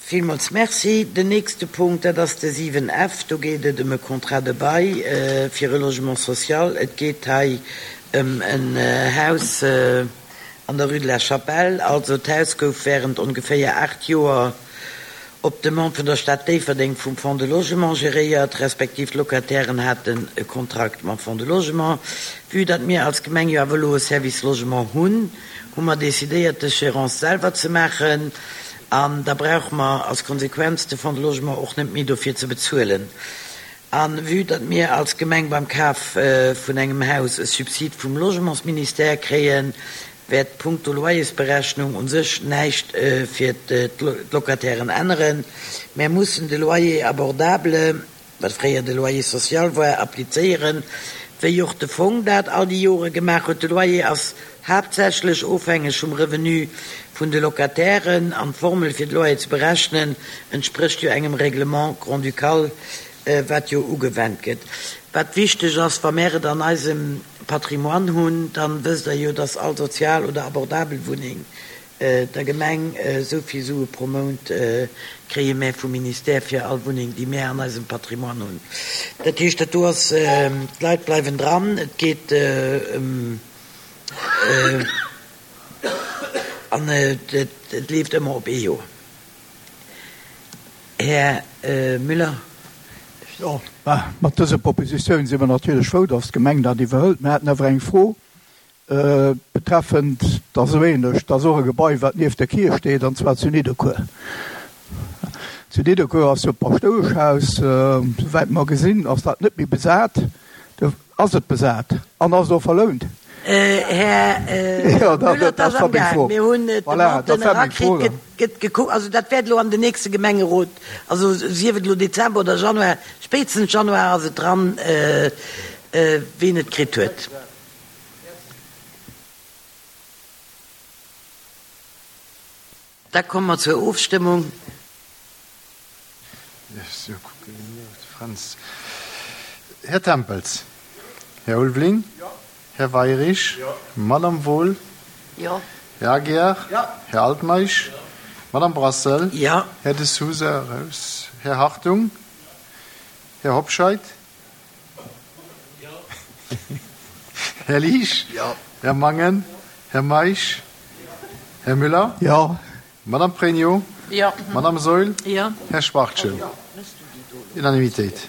Villmools Merci. Den nächste Punkt, dat ass de 7F. Do geet et ëm e Contrat de bail fir e Logement social. Et geet hei ëm en Haus an der Rue de la Chapelle. Also d'Haus gouf während ongeféier 8 Joer op Demande vun der Stad Déifferdeng vum Fonds de Logement geréiert, respektiv d'Locatairen haten e Kontrakt mam Fonds de Logement. Vue datt mir als Gemeng jo awer elo e Service Logement hunn, hu mer decidéiert dës Gérance selwer ze maachen an da brauche mer als Konsequenz de Fonds de Logement och net méi dofir ze bezuelen. A vue datt mir als Gemeng beim Kaf vun engem Haus e Subsid vum Logementsministère kréien, wäert punkto Loyersberechnung u sech näischt fir d'Locatairen änneren. Mär mussen de Loyer abordable, wat fréier de Loyer social war, applizéieren, wéi och de Fong dat all déi Jore gemaach huet. De Loyer ass haaptsächlech ofhängeg vum Revenu vun de Locatairen an d'Formel fir de Loyer ze berechnen entsprécht jo engem Règlement grand-ducal, wat jo ugewennt gëtt. Wat wichteg ass, wa mär et an eisem Patrimoine hunn, dann wësst Der jo, dass all sozial oder abordabel Wunneng der Gemeng esou vill Sue pro Mount kréie mär vum Ministère fir all Wunneng, déi mär an eisem Patrimoine hunn. Dat heescht, dat do ass, d'Leit bleiwen dran, et geet ëm, an et leeft ëmmer op ee Joer. Här Müller. Jo, mat dëser Propositioun si mer natierlech frou, dass d'Gemeng dat iwwerhëlt. Mir haten awer eng Fro betreffend, dat ass esou ähnlech, dat ass och e Gebai, wat nieft der Kierch steet, an zwar zu Nidderkuer. Zu Nidderkuer ass jo d'Paschtoueschhaus, souwäit mer gesinn, ass dat net méi besat. Ass et besat an ass et och verlount? Här Müller, et ass amgaang. Mir hunn d'Demanden erakritt, gëtt gekuckt. Also dat wäert elo an den nächste Gemengerot, also sief et elo Dezember oder Januar, spéitstens Januar ass et dran, ween et kritt huet. Da komme mer zur Ofstëmmung. Här Tempels, Här Ulveling, Här Weirich, Madame Wohl, Här Aguiar, Här Altmeisch, Madame Brassel, Här De Sousa, raus, Här Hartung, Här Hobscheit, Här Liesch, Här Mangen, Här Meisch, Här Müller, Madame Pregno, Madame Saeul, Här Schwachtgen. Unanimitéit.